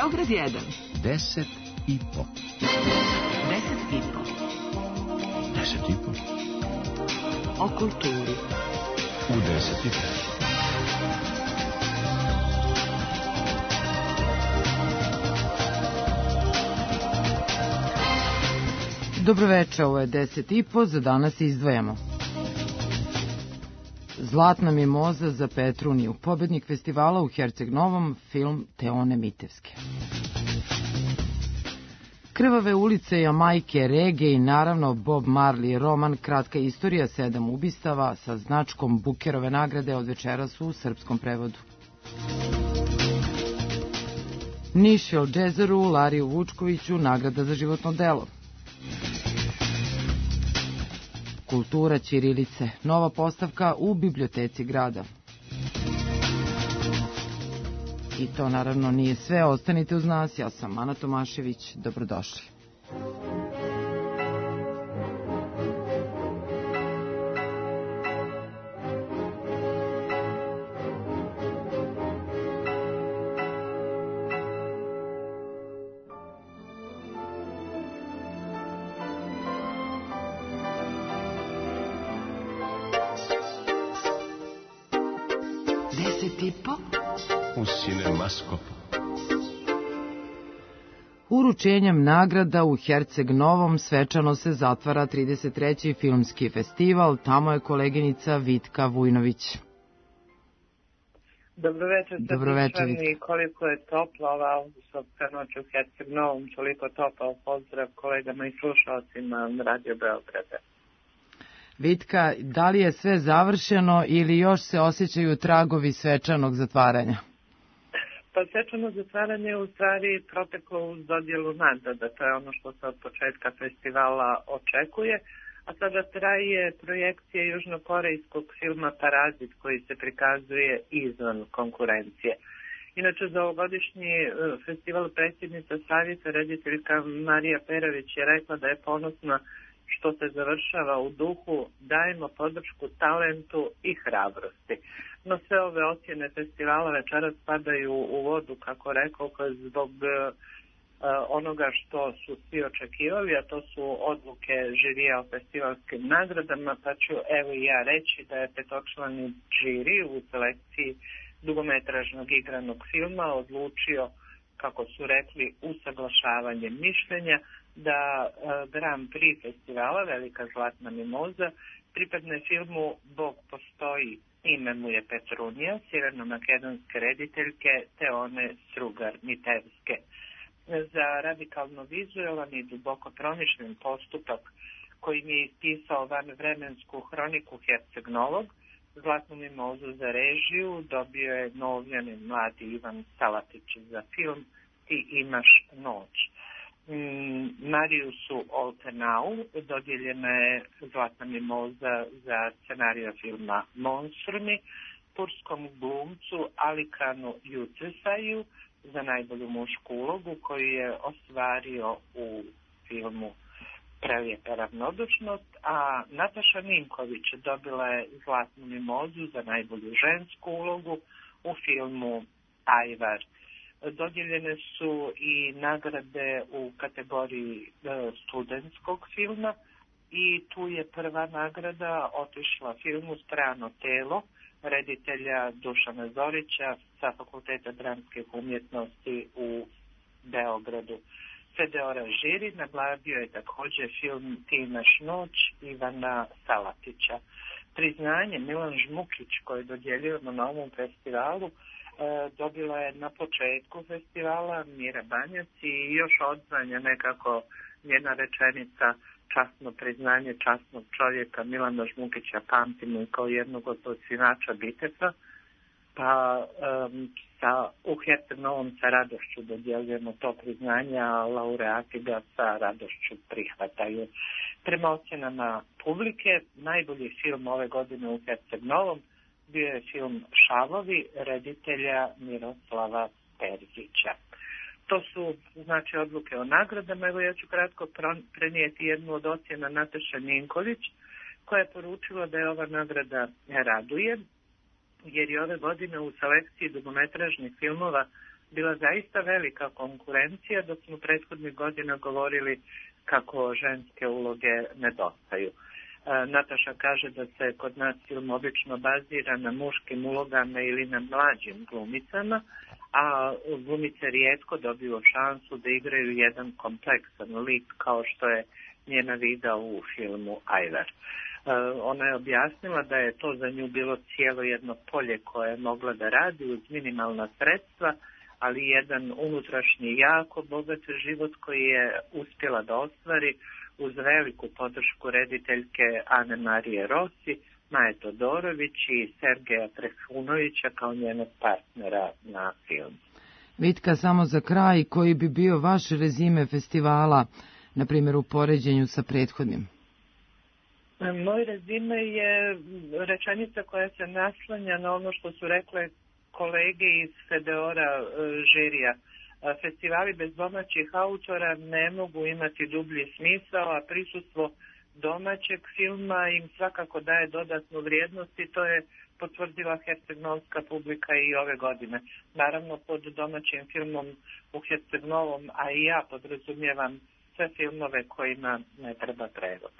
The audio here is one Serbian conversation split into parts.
Beograd 1. 10 i po. 10 i po. 10 i po. O kulturi. U 10 i po. Dobroveče, ovo je 10 i po, za danas izdvajamo. Zlatna mimoza za Petruniju, pobednik festivala u Herceg Novom, film Teone Mitevske. Krvave ulice, Jamajke, reggae i naravno Bob Marley, roman Kratka istorija 7 ubistava sa značkom Bukerove nagrade od večeras u srpskom prevodu. Nišel Džezeru, Lariju Vučkoviću, nagrada za životno delo. Kultura ćirilice, nova postavka u biblioteci grada. I to naravno nije sve, ostanite uz nas, ja sam Ana Tomašević, dobrodošli. U Cinemaskopu. Uručenjem nagrada u Herceg Novom svečano se zatvara 33. filmski festival, tamo je koleginica Vitka Vujnović. Dobroveče, Dobroveče, Vitka. Koliko je topla ova avgustovska noć u Herceg Novom, toliko topao pozdrav kolegama i slušalcima Radio Beograda. Vitka, da li je sve završeno ili još se osjećaju tragovi svečanog zatvaranja? Pa svečano zatvaranje je u stvari proteklo uz dodjelu nagrada, to je ono što se od početka festivala očekuje, a sada traje projekcija južnokorejskog filma Parazit koji se prikazuje izvan konkurencije. Inače, za ovogodišnji festival predsjednica savjeta rediteljka Marija Perović je rekla da je ponosna što se završava u duhu dajemo podršku talentu i hrabrosti. No sve ove ocjene festivala večeras padaju u vodu, kako rekao, zbog onoga što su svi očekivali, a to su odluke žirija o festivalskim nagradama, pa ću evo i ja reći da je petočlani žiri u selekciji dugometražnog igranog filma odlučio, kako su rekli, usaglašavanje mišljenja, da Grand Prix festivala Velika zlatna mimoza pripadne filmu Bog postoji, ime mu je Petrunija, sjeverno-makedonske rediteljke Teone Mitevske. Za radikalno vizualan i duboko promišljen postupak kojim je ispisao vanvremensku hroniku Herceg Novog, zlatnu mimozu za režiju dobio je novljeni mladi Ivan Salatić za film Ti imaš noć. Mariusu Oltenau dodijeljena je zlatna mimoza za scenarija filma Monstrumi, turskom glumcu Alikanu Jucesaju za najbolju mušku ulogu koju je ostvario u filmu Prelijepa ravnodušnost, a Nataša Ninković dobila je zlatnu mimozu za najbolju žensku ulogu u filmu Ajvar. Dodijeljene su i nagrade u kategoriji studentskog filma i tu je prva nagrada otišla filmu Strano telo reditelja Dušana Zorića sa Fakulteta dramskih umjetnosti u Beogradu. Fedeora žiri nagladio je također film Ti imaš noć Ivana Salatića. Priznanje Milan Žmukić koji dodjeljujemo na ovom festivalu dobila je na početku festivala Mira Banjac i još odzvanja nekako njena rečenica časno priznanje časnog čovjeka Milana Žmukića pamtimo i kao jednog od osnivača Bitefa, pa u Herceg Novom sa radošću dodjeljujemo to priznanje, a laureati ga sa radošću prihvataju. Prema ocjenama publike, najbolji film ove godine u Herceg Novom bio je film Šavovi reditelja Miroslava Terzića. To su znači odluke o nagradama. Evo ja ću kratko prenijeti jednu od ocjena Nataše Ninković koja je poručila da je ova nagrada raduje jer je ove godine u selekciji dugometražnih filmova bila zaista velika konkurencija, dok smo prethodnih godina govorili kako ženske uloge nedostaju. Nataša kaže da se kod nas film obično bazira na muškim ulogama ili na mlađim glumicama, a glumice rijetko dobiju šansu da igraju jedan kompleksan lik kao što je njena Vida u filmu Ajvar. Ona je objasnila da je to za nju bilo cijelo jedno polje koje je mogla da radi uz minimalna sredstva, ali jedan unutrašnji jako bogat život koji je uspjela da ostvari uz veliku podršku rediteljke Ane Marije Rossi, Maje Todorović i Sergeja Trifunovića kao njenog partnera na filmu. Vitka, samo za kraj, koji bi bio vaš rezime festivala, na primjer u poređenju sa prethodnim? Moj rezime je rečenica koja se naslanja na ono što su rekle kolege iz Fedeora žirija. Festivali bez domaćih autora ne mogu imati dublji smisao, a prisustvo domaćeg filma im svakako daje dodatnu vrijednost i to je potvrdila herceg-novska publika i ove godine. Naravno, pod domaćim filmom u Herceg-Novom, a i ja podrazumijevam sve filmove kojima ne treba prevod.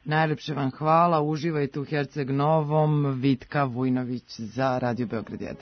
Najlepše vam hvala, uživajte u Herceg-Novom. Vitka Vujnović za Radio Beograd 1.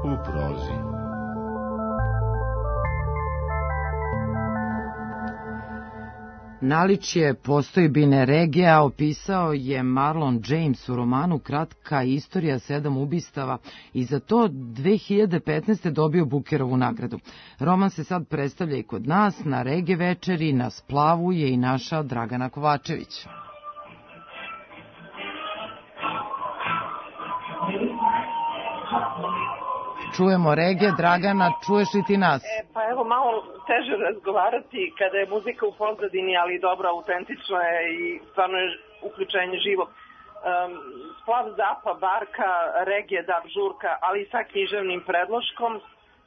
U prozi. Naličje postojbine regija opisao je Marlon James u romanu Kratka istorija 7 ubistava i za to 2015. dobio Bukerovu nagradu. Roman se sad predstavlja i kod nas, na regije večeri, na splavu je i naša Dragana Kovačević. Čujemo regije. Dragana, čuješ li ti nas? Pa evo, malo teže razgovarati kada je muzika u pozadini, ali dobro, autentično je i stvarno je uključenje živo. Splav Zapa, Barka, regije, dav, žurka, ali i sa književnim predloškom.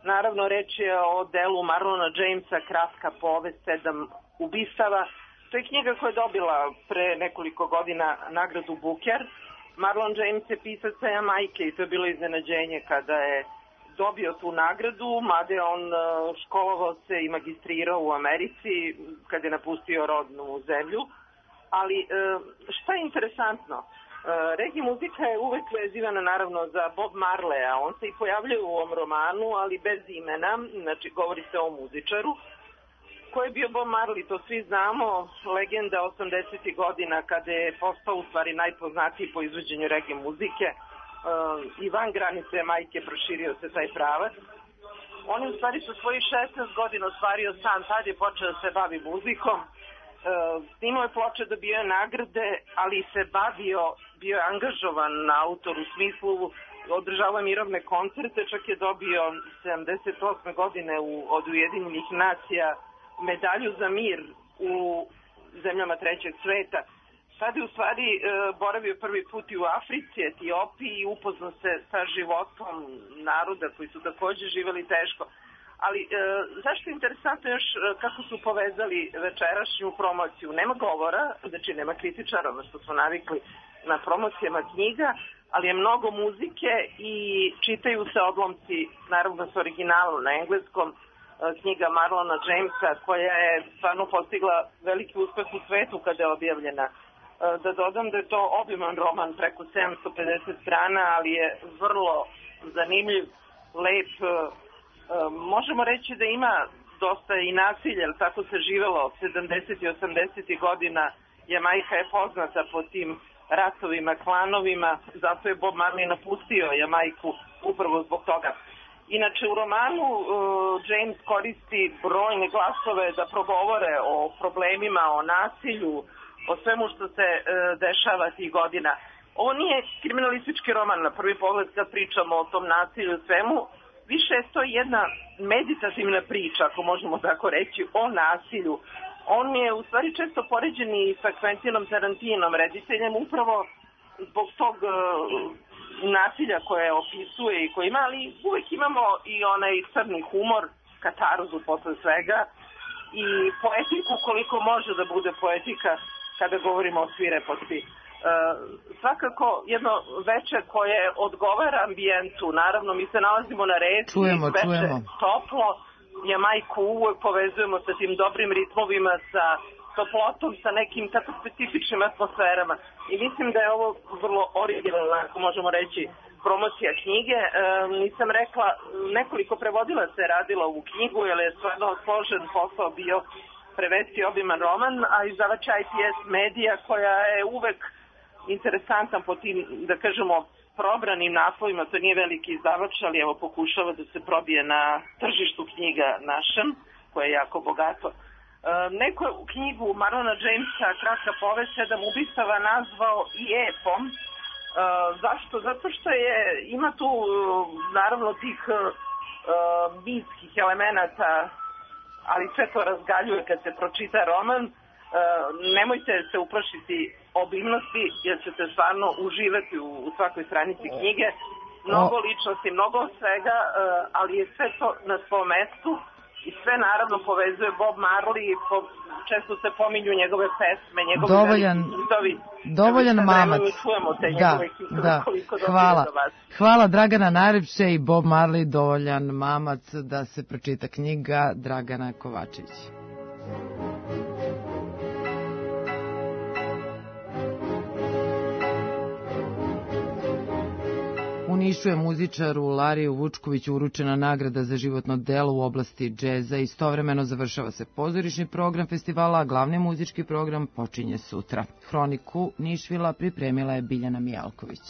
Naravno, reč je o delu Marlona Jamesa, Kratka povest 7 ubistava. To je knjiga koja je dobila pre nekoliko godina nagradu Buker. Marlon James je pisac sa Jamajke i to je bilo iznenađenje kada je dobio tu nagradu, mada je on školovao se i magistrirao u Americi kad je napustio rodnu zemlju. Ali šta je interesantno? Reggae muzika je uvek vezivana naravno za Bob Marleya. On se i pojavljuje u ovom romanu, ali bez imena, znači govori se o muzičaru. Ko je bio Bob Marley, to svi znamo, legenda 80. godina kada je postao u stvari najpoznatiji po izvođenju reggae muzike. I van granice Jamajke proširio se taj pravac. On je u stvari sa svojih 16 godina ostvario san, tad je počeo da se bavi muzikom. Snimao je ploče, dobio je nagrade, ali se bio je angažovan na autor u smislu održavao mirovne koncerte, čak je dobio 78. godine od Ujedinjenih nacija medalju za mir u zemljama trećeg sveta. Sad je u stvari boravio prvi put i u Africi, Etiopiji i upoznao se sa životom naroda koji su također živjeli teško. Ali zašto je interesantno još kako su povezali večerašnju promociju? Nema govora, znači nema kritičara, ono što smo navikli na promocijama knjiga, ali je mnogo muzike i čitaju se odlomci, naravno s originalom na engleskom, knjiga Marlona Jamesa koja je stvarno postigla veliki uspeh u svetu kada je objavljena. Da dodam da je to obiman roman preko 750 strana, ali je vrlo zanimljiv, lep. Možemo reći da ima dosta i nasilja, jer tako se živelo 70. i 80. godina. Jamajka je poznata po tim ratovima, klanovima, zato je Bob Marley napustio Jamajku upravo zbog toga. Inače, u romanu James koristi brojne glasove da progovore o problemima, o nasilju, o svemu što se dešava tih godina. Ovo nije kriminalistički roman na prvi pogled kad pričamo o tom nasilju i svemu, više je to jedna meditativna priča, ako možemo tako reći, o nasilju. On je u stvari često poređen i sa Quentinom Tarantinom, rediteljem, upravo zbog tog nasilja koje opisuje i koje ima, ali uvek imamo i onaj crni humor, katarzu posle svega i poetiku koliko može da bude poetika kada govorimo o svireposti. Svakako jedno veče koje odgovara ambijentu, naravno mi se nalazimo na reci, veče toplo, Jamajku uvek povezujemo sa tim dobrim ritmovima, sa toplotom, sa nekim tako specifičnim atmosferama i mislim da je ovo vrlo originalna, ako možemo reći, promocija knjige. Nisam rekla, nekoliko prevodilaca je radilo ovu knjigu, jer je stvarno složen posao bio prevesti obiman roman, a izdavač IPS Medija, koja je uvek interesantan po tim, da kažemo, probranim naslovima, to nije veliki izdavač, ali evo pokušava da se probije na tržištu knjiga našem, koje je jako bogato. Neko je u knjigu Marlona Jamesa Kratka povest 7 ubistava nazvao i epom. Zašto? Zato što ima tu naravno tih mitskih elemenata, ali sve to razgaljuje kad se pročita roman. Nemojte se uplašiti obimnosti, jer ćete stvarno uživati u svakoj stranici knjige. Mnogo ličnosti, mnogo svega, ali je sve to na svom mestu i sve naravno povezuje Bob Marley, često se pominju njegove pesme, njegovi hitovi. Dovoljan mamac. Hvala. Hvala Dragana najlepše i Bob Marley dovoljan mamac da se pročita knjiga Dragana Kovačević. U Nišu je muzičaru Lariju Vučkoviću uručena nagrada za životno delo u oblasti džeza. Istovremeno završava se pozorišni program festivala, a glavni muzički program počinje sutra. Hroniku Nišvila pripremila je Biljana Mijalković.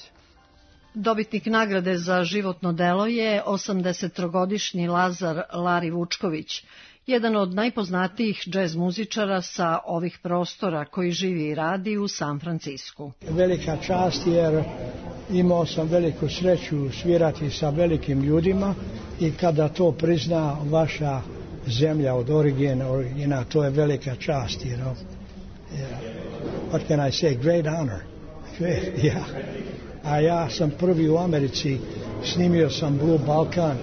Dobitnik nagrade za životno delo je 83-godišnji Lazar Lari Vučković, jedan od najpoznatijih džez muzičara sa ovih prostora koji živi i radi u San Francisku. Velika čast jer imao sam veliku sreću svirati sa velikim ljudima i kada to prizna vaša zemlja od origina, to je velika čast, you know. What can I say? Great honor. Yeah. A ja sam prvi u Americi, snimio sam Blue Balkan,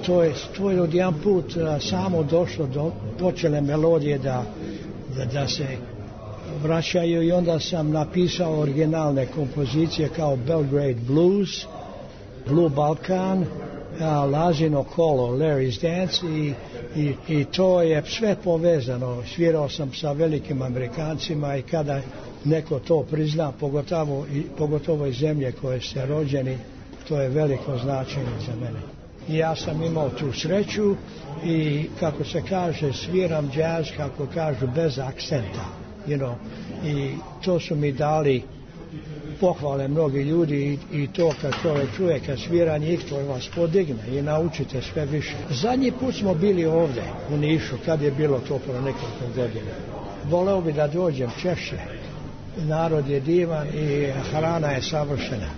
to je odjedan put samo došlo do počele melodije da se vraćaju i onda sam napisao originalne kompozicije kao Belgrade Blues, Blue Balkan, Lazino Kolo, Larry's Dance i to je sve povezano. Svirao sam sa velikim Amerikancima i kada neko to prizna, pogotovo iz zemlje koje ste rođeni, to je veliko značenje za mene. I ja sam imao tu sreću i kako se kaže, sviram džaz, kako kažu, bez akcenta. You know, i to su mi dali pohvale mnogi ljudi i to kad čovjek čuje kad svira njih, to vas podigne i naučite sve više. Zadnji put smo bili ovdje u Nišu, kad je bilo to pro nekoliko godina. Voleo bi da dođem češće. Narod je divan i hrana je savršena.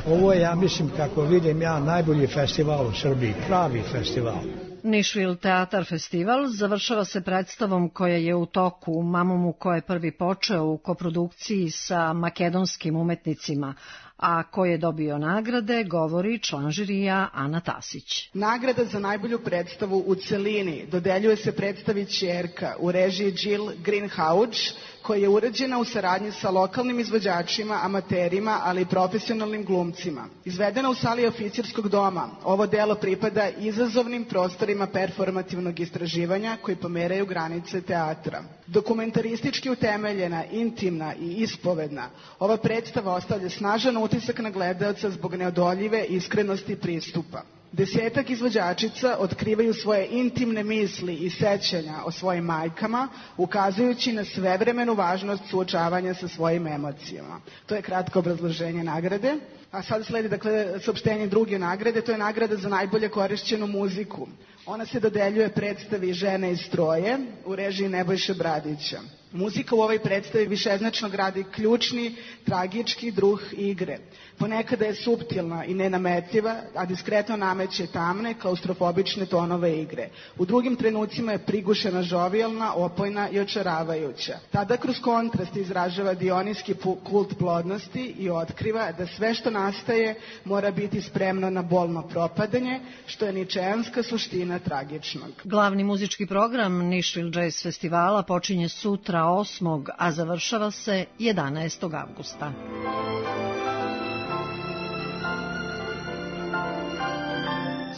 Ovo je, ja mislim, kako vidim ja, najbolji festival u Srbiji, pravi festival. Nišvil Teatar festival završava se predstavom koja je u toku, Mamomu ko je prvi počeo u koprodukciji sa makedonskim umetnicima, a ko je dobio nagrade, govori član žirija Ana Tasić. Nagrada za najbolju predstavu u celini dodeljuje se predstavi Ćerka u režiji Jill Greenhalgh, koja je urađena u saradnji sa lokalnim izvođačima, amaterima, ali i profesionalnim glumcima. Izvedena u sali oficirskog doma, ovo delo pripada izazovnim prostorima performativnog istraživanja koji pomeraju granice teatra. Dokumentaristički utemeljena, intimna i ispovedna, ova predstava ostavlja snažan utisak na gledaoca zbog neodoljive iskrenosti pristupa. 10 izvođačica otkrivaju svoje intimne misli i sećanja o svojim majkama, ukazujući na svevremenu važnost suočavanja sa svojim emocijama. To je kratko obrazloženje nagrade. A sad sledi, dakle, saopštenje druge nagrade, to je nagrada za najbolje korišćenu muziku. Ona se dodeljuje predstavi Žene iz stroje u režiji Nebojše Bradića. Muzika u ovoj predstavi višeznačno gradi ključni, tragički druh igre. Ponekada je suptilna i nenametljiva, a diskretno nameće tamne, klaustrofobične tonove igre. U drugim trenucima je prigušena, žovijalna, opojna i očaravajuća. Tada kroz kontrast izražava dionijski kult plodnosti i otkriva da sve što nastaje mora biti spremno na bolno propadanje, što je ničejanska suština tragičnog. Glavni muzički program Nashville Jazz Festivala počinje sutra 8. a završava se 11. avgusta.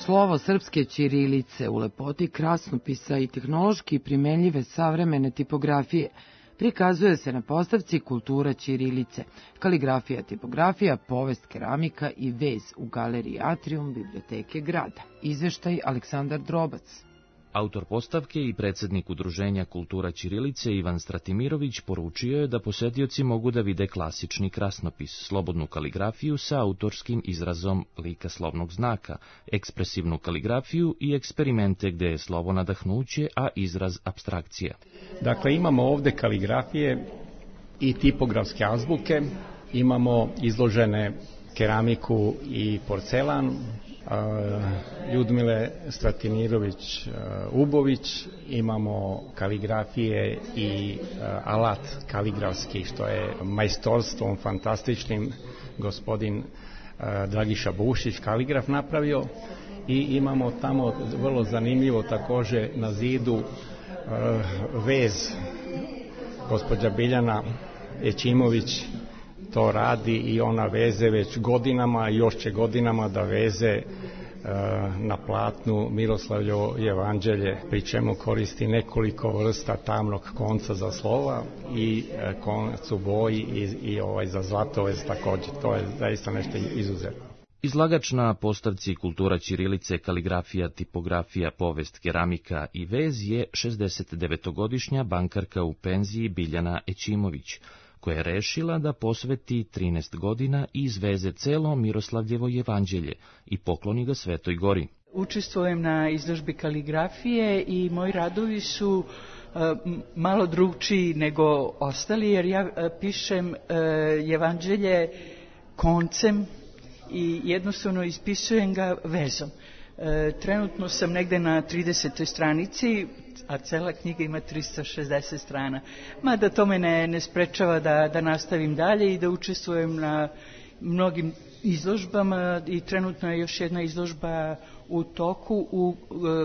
Slovo srpske ćirilice u lepoti krasnopisa i tehnološki primenljive savremene tipografije prikazuje se na postavci Kultura ćirilice, kaligrafija, tipografija, povest, keramika i vez u galeriji Atrium Biblioteke grada. Izveštaj Aleksandar Drobac. Autor postavke i predsednik Udruženja Kultura ćirilice Ivan Stratimirović poručio je da posetioci mogu da vide klasični krasnopis, slobodnu kaligrafiju sa autorskim izrazom lika slovnog znaka, ekspresivnu kaligrafiju i eksperimente gde je slovo nadahnuće, a izraz apstrakcija. Dakle, imamo ovde kaligrafije i tipografske azbuke, imamo izložene keramiku i porcelan, Ljudmile Stratimirović-Ubović, imamo kaligrafije i alat kaligrafski, što je majstorstvom fantastičnim gospodin Dragiša Bušić, kaligraf, napravio, i imamo tamo vrlo zanimljivo takođe na zidu vez, gospođa Biljana Ećimović to radi i ona veze već godinama i još će godinama da veze na platnu Miroslavljevo jevanđelje, pri čemu koristi nekoliko vrsta tamnog konca za slova i konac u boji i za zlatovez takođe. To je zaista nešto izuzetno. Izlagač na postavci Kultura ćirilice, kaligrafija, tipografija, povest, keramika i vez je 69-godišnja bankarka u penziji Biljana Ećimović, koja je rešila da posveti 13 godina i izveze celo Miroslavljevo jevanđelje i pokloni ga Svetoj Gori. Učestvujem na izložbi kaligrafije i moji radovi su malo drugčiji nego ostali, jer ja pišem jevanđelje koncem i jednostavno ispisujem ga vezom. Trenutno sam negde na 30. stranici, a cela knjiga ima 360 strana. Mada to me ne sprečava da nastavim dalje i da učestvujem na mnogim izložbama, i trenutno je još jedna izložba u toku u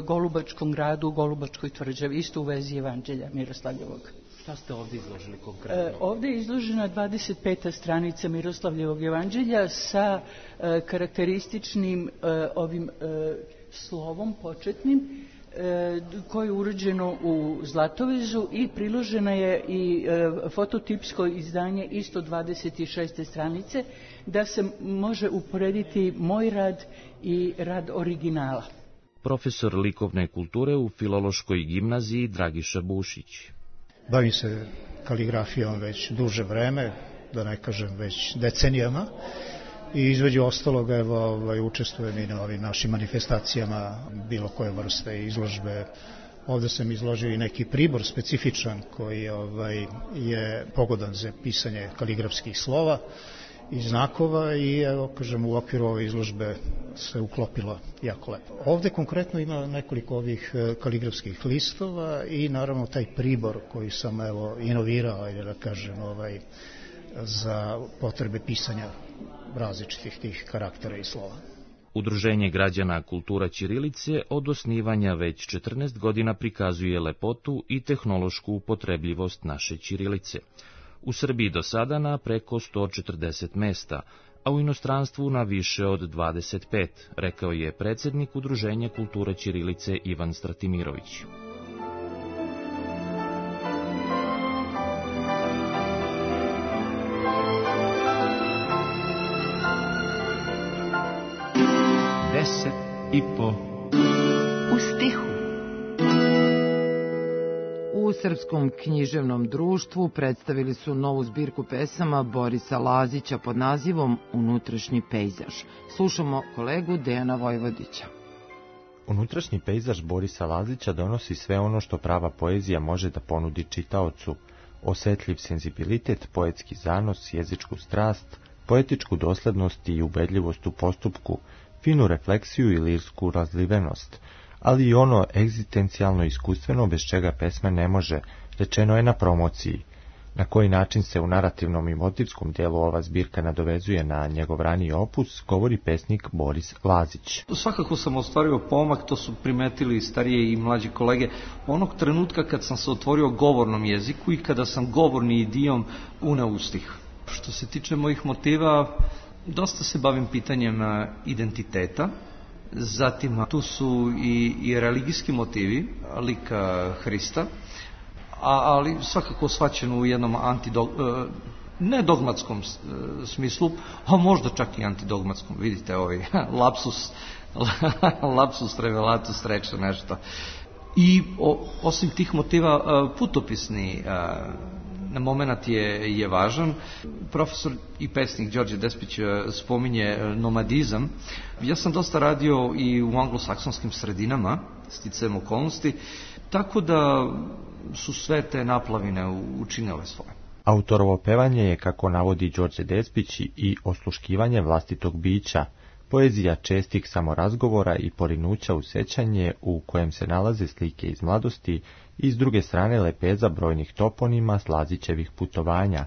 Golubačkom gradu, u Golubačkoj tvrđavi, isto u vezi Evanđelja Miroslavljevog. Šta ste ovde izložili konkretno? Ovde je izložena 25. stranica Miroslavljevog evanđelja sa karakterističnim ovim slovom početnim, koje je urađeno u zlatovezu, i priložena je i fototipsko izdanje isto 26. stranice, da se može uporediti moj rad i rad originala. Profesor likovne kulture u Filološkoj gimnaziji Dragiša Bušić. Bavim se kaligrafijom već duže vreme, da ne kažem već decenijama, i između ostaloga učestvujem i na ovim našim manifestacijama bilo koje vrste izložbe. Ovde sam izložio i neki pribor specifičan koji je pogodan za pisanje kaligrafskih slova i znakova, i evo, kažem, u okviru ove izložbe se uklopilo jako lepo. Ovde konkretno ima nekoliko ovih kaligrafskih listova i naravno taj pribor koji sam inovirao, da kažem, za potrebe pisanja različitih tih karaktera i slova. Udruženje građana Kultura ćirilice od osnivanja već 14 godina prikazuje lepotu i tehnološku upotrebljivost naše ćirilice. U Srbiji do sada na preko 140 mesta, a u inostranstvu na više od 25, rekao je predsednik Udruženja Kulture ćirilice Ivan Stratimirović. Deset i po. U stihu. U Srpskom književnom društvu predstavili su novu zbirku pesama Borisa Lazića pod nazivom Unutrašnji pejzaž. Slušamo kolegu Dejana Vojvodića. Unutrašnji pejzaž Borisa Lazića donosi sve ono što prava poezija može da ponudi čitaocu. Osetljiv senzibilitet, poetski zanos, jezičku strast, poetičku doslednost i ubedljivost u postupku, finu refleksiju i lirsku razlivenost, ali i ono egzistencijalno iskustveno bez čega pesma ne može, rečeno je na promociji. Na koji način se u narativnom i motivskom dijelu ova zbirka nadovezuje na njegov raniji opus, govori pesnik Boris Lazić. Svakako sam ostvario pomak, to su primetili starije i mlađe kolege, onog trenutka kad sam se otvorio govornom jeziku i kada sam govorni idiom uneo u stih. Što se tiče mojih motiva, dosta se bavim pitanjem identiteta, zatim tu su i religijski motivi, lika Hrista, ali svakako shvaćeno u jednom nedogmatskom smislu, a možda čak i antidogmatskom. Vidite ovaj lapsus revelatus reče nešto. I osim tih motiva putopisni moment je važan. Profesor i pesnik Đorđe Despić spominje nomadizam. Ja sam dosta radio i u anglosaksonskim sredinama, sticajem okolnosti, tako da su sve te naplavine učinile svoje. Autorovo pevanje je, kako navodi Đorđe Despić, i osluškivanje vlastitog bića, poezija čestih samorazgovora i porinuća u sećanje u kojem se nalaze slike iz mladosti i s druge strane lepeza brojnih toponima s Lazićevih putovanja,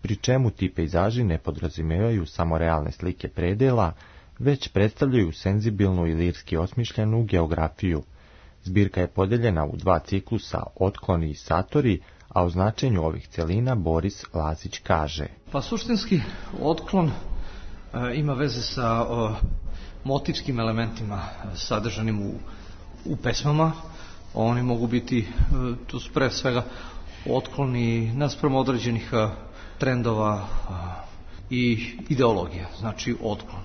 pri čemu ti pejzaži ne podrazumevaju samo realne slike predela, već predstavljaju senzibilnu i lirski osmišljenu geografiju. Zbirka je podeljena u dva ciklusa, Otkloni i Satori, a o značenju ovih celina Boris Lazić kaže. Pa suštinski Otklon ima veze sa motivskim elementima sadržanim u pesmama. Oni mogu biti, to su pre svega otkloni naspram određenih trendova i ideologija, znači otklon.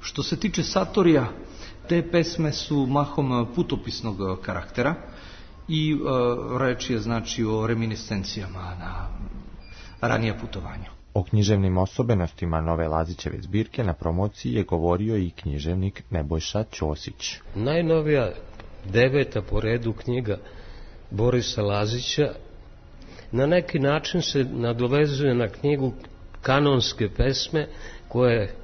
Što se tiče Satorija, te pesme su mahom putopisnog karaktera i reč je znači o reminiscencijama na ranije putovanja. O književnim osobenostima nove Lazićeve zbirke na promociji je govorio i književnik Nebojša Ćosić. Najnovija 9. po redu knjiga Borisa Lazića na neki način se nadovezuje na knjigu Kanonske pesme koja je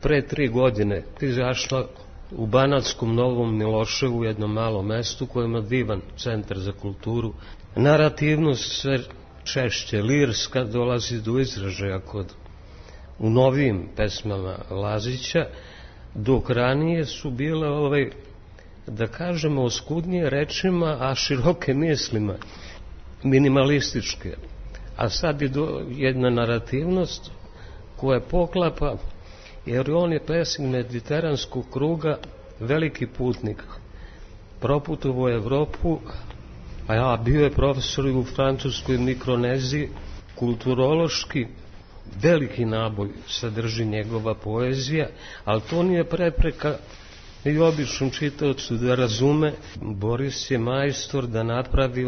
pre 3 godine izašla u Banatskom Novom Miloševu, jednom malom mestu koje ima divan centar za kulturu. Narativnost sve češće lirska dolazi do izražaja u novijim pesmama Lazića, dok ranije su bile da kažemo oskudnije rečima, a široke mislima, minimalističke. A sad je jedna narativnost koja poklapa, jer on je pesnik mediteranskog kruga, veliki putnik. Proputovao Evropu, a bio je profesor u francuskoj Mikroneziji, kulturološki veliki naboj sadrži njegova poezija, ali to nije prepreka i običnom čitaocu da razume. Boris je majstor da napravi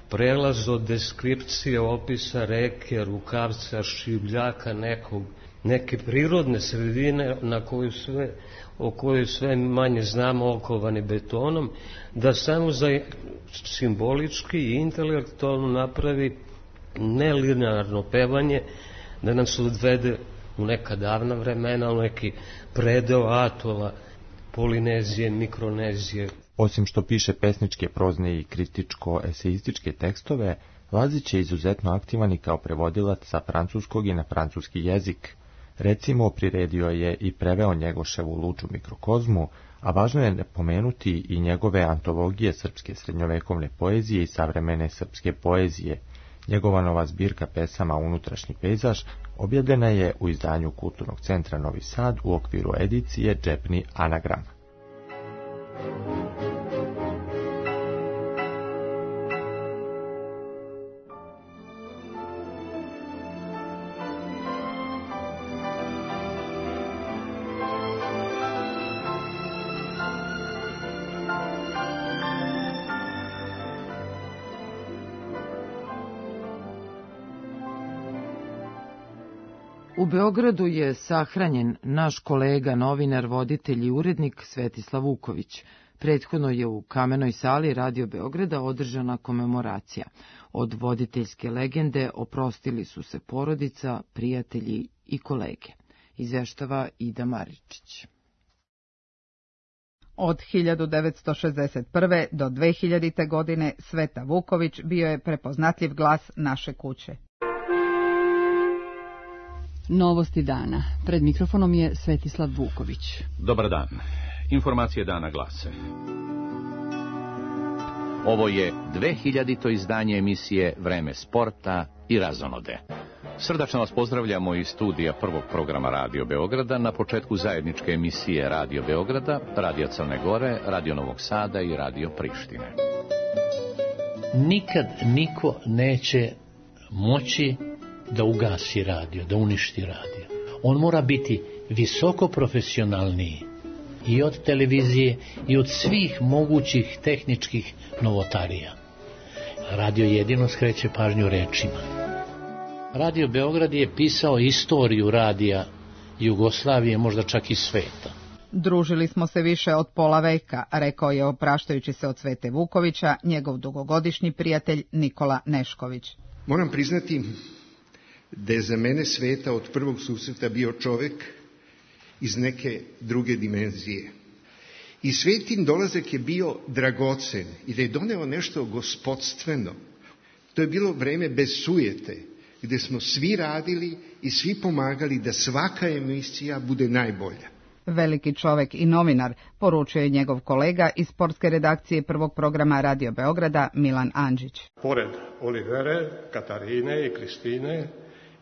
prelaz od deskripcije, opisa reke, rukavca, šibljaka, neke prirodne sredine o kojoj sve manje znamo, okovani betonom, da samo za simbolički i intelektualno napravi nelinearno pevanje, da nam se odvede u neka davna vremena, u neki predeo atola, Polinezije, Mikronezije. Osim što piše pesničke, prozne i kritičko-eseističke tekstove, Lazić je izuzetno aktivan i kao prevodilac sa francuskog i na francuski jezik. Recimo, priredio je i preveo Njegoševu Luču mikrokozmu, a važno je pomenuti i njegove antologije srpske srednjovekovne poezije i savremene srpske poezije. Njegova nova zbirka pesama Unutrašnji pejzaž objavljena je u izdanju Kulturnog centra Novi Sad u okviru edicije Džepni anagram. U Beogradu je sahranjen naš kolega, novinar, voditelj i urednik Svetislav Vuković. Prethodno je u Kamenoj sali Radio Beograda održana komemoracija. Od voditeljske legende oprostili su se porodica, prijatelji i kolege. Izveštava Ida Maričić. Od 1961. do 2000. godine Sveta Vuković bio je prepoznatljiv glas naše kuće. Novosti dana. Pred mikrofonom je Svetislav Vuković. Dobar dan. Informacije dana glase. Ovo je 2000. izdanje emisije Vreme sporta i razonode. Srdačno vas pozdravljamo iz studija prvog programa Radio Beograda na početku zajedničke emisije Radio Beograda, Radio Crne Gore, Radio Novog Sada i Radio Prištine. Nikad niko neće moći da ugasi radio, da uništi radio. On mora biti visoko profesionalniji i od televizije i od svih mogućih tehničkih novotarija. Radio jedino skreće pažnju rečima. Radio Beograd je pisao istoriju radija Jugoslavije, možda čak i sveta. Družili smo se više od pola veka, rekao je opraštajući se od Svete Vukovića njegov dugogodišnji prijatelj Nikola Nešković. Moram priznati da je za mene Sveta od prvog susreta bio čovek iz neke druge dimenzije. I Svetin dolazak je bio dragocen i da je doneo nešto gospodstveno. To je bilo vreme bez sujete, gde smo svi radili i svi pomagali da svaka emisija bude najbolja. Veliki čovek i novinar, poručio je njegov kolega iz sportske redakcije prvog programa Radio Beograda Milan Andžić. Pored Olivere, Katarine i Kristine,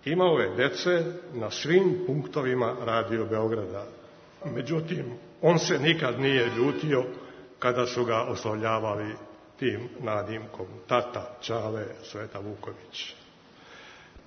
imao je dece na svim punktovima Radio Beograda. Međutim, on se nikad nije ljutio kada su ga oslovljavali tim nadimkom tata, Čale, Sveta Vuković.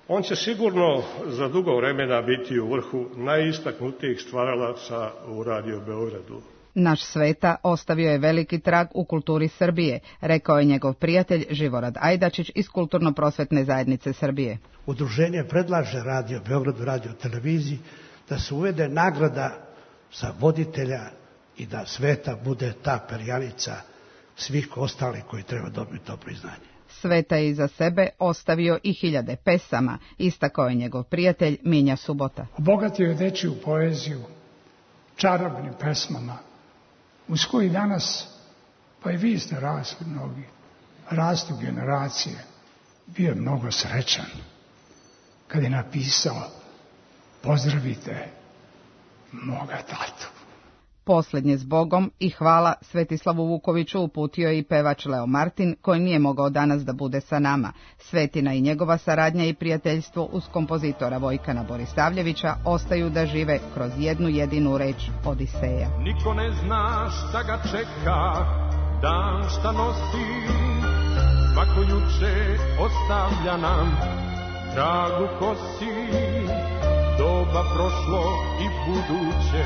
On će sigurno za dugo vremena biti u vrhu najistaknutijih stvaralaca u Radio Beogradu. Naš Sveta ostavio je veliki trag u kulturi Srbije, rekao je njegov prijatelj Živorad Ajdačić iz Kulturno-prosvetne zajednice Srbije. Udruženje predlaže Radio Beogradu, Radio televiziji, da se uvede nagrada za voditelja i da Sveta bude ta perjanica svih ostalih koji treba dobiti to priznanje. Sveta je iza sebe ostavio i hiljade pesama, istakao je njegov prijatelj Minja Subota. Obogatio je dečiju poeziju čarobnim pesmama, uz koji danas, pa i vi ste rasli mnogi, rastu generacije. Bio je mnogo srećan kad je napisao: pozdravite moga tatu. Posljednje s Bogom i hvala Svetislavu Vukoviću uputio je i pevač Leo Martin, koji nije mogao danas da bude sa nama. Svetina i njegova saradnja i prijateljstvo uz kompozitora Vojkana Borisavljevića ostaju da žive kroz jednu jedinu reč Odiseja. Niko ne zna šta ga čeka, dan šta nosi, svako juče ostavlja nam trag u kosi, doba prošlo i buduće,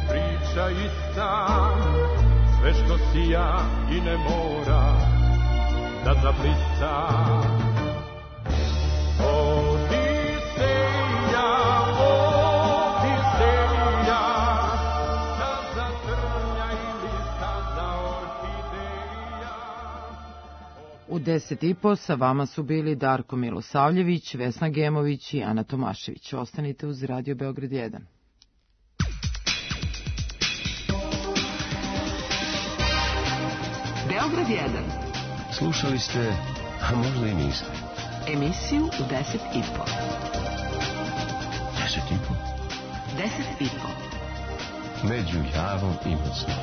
priča ista, sve što sija i ne mora da zablista. Odiseja, Odiseja, staza trnja ili staza orhideja. U 10:30 sa vama su bili Darko Milosavljević, Vesna Gemović i Ana Tomašević. Ostanite uz Radio Beograd 1. Beograd 1. Slušali ste, a možda i niste, Emisiju u 10:30. 10:30? 10:30. Među Javom i Mocnom.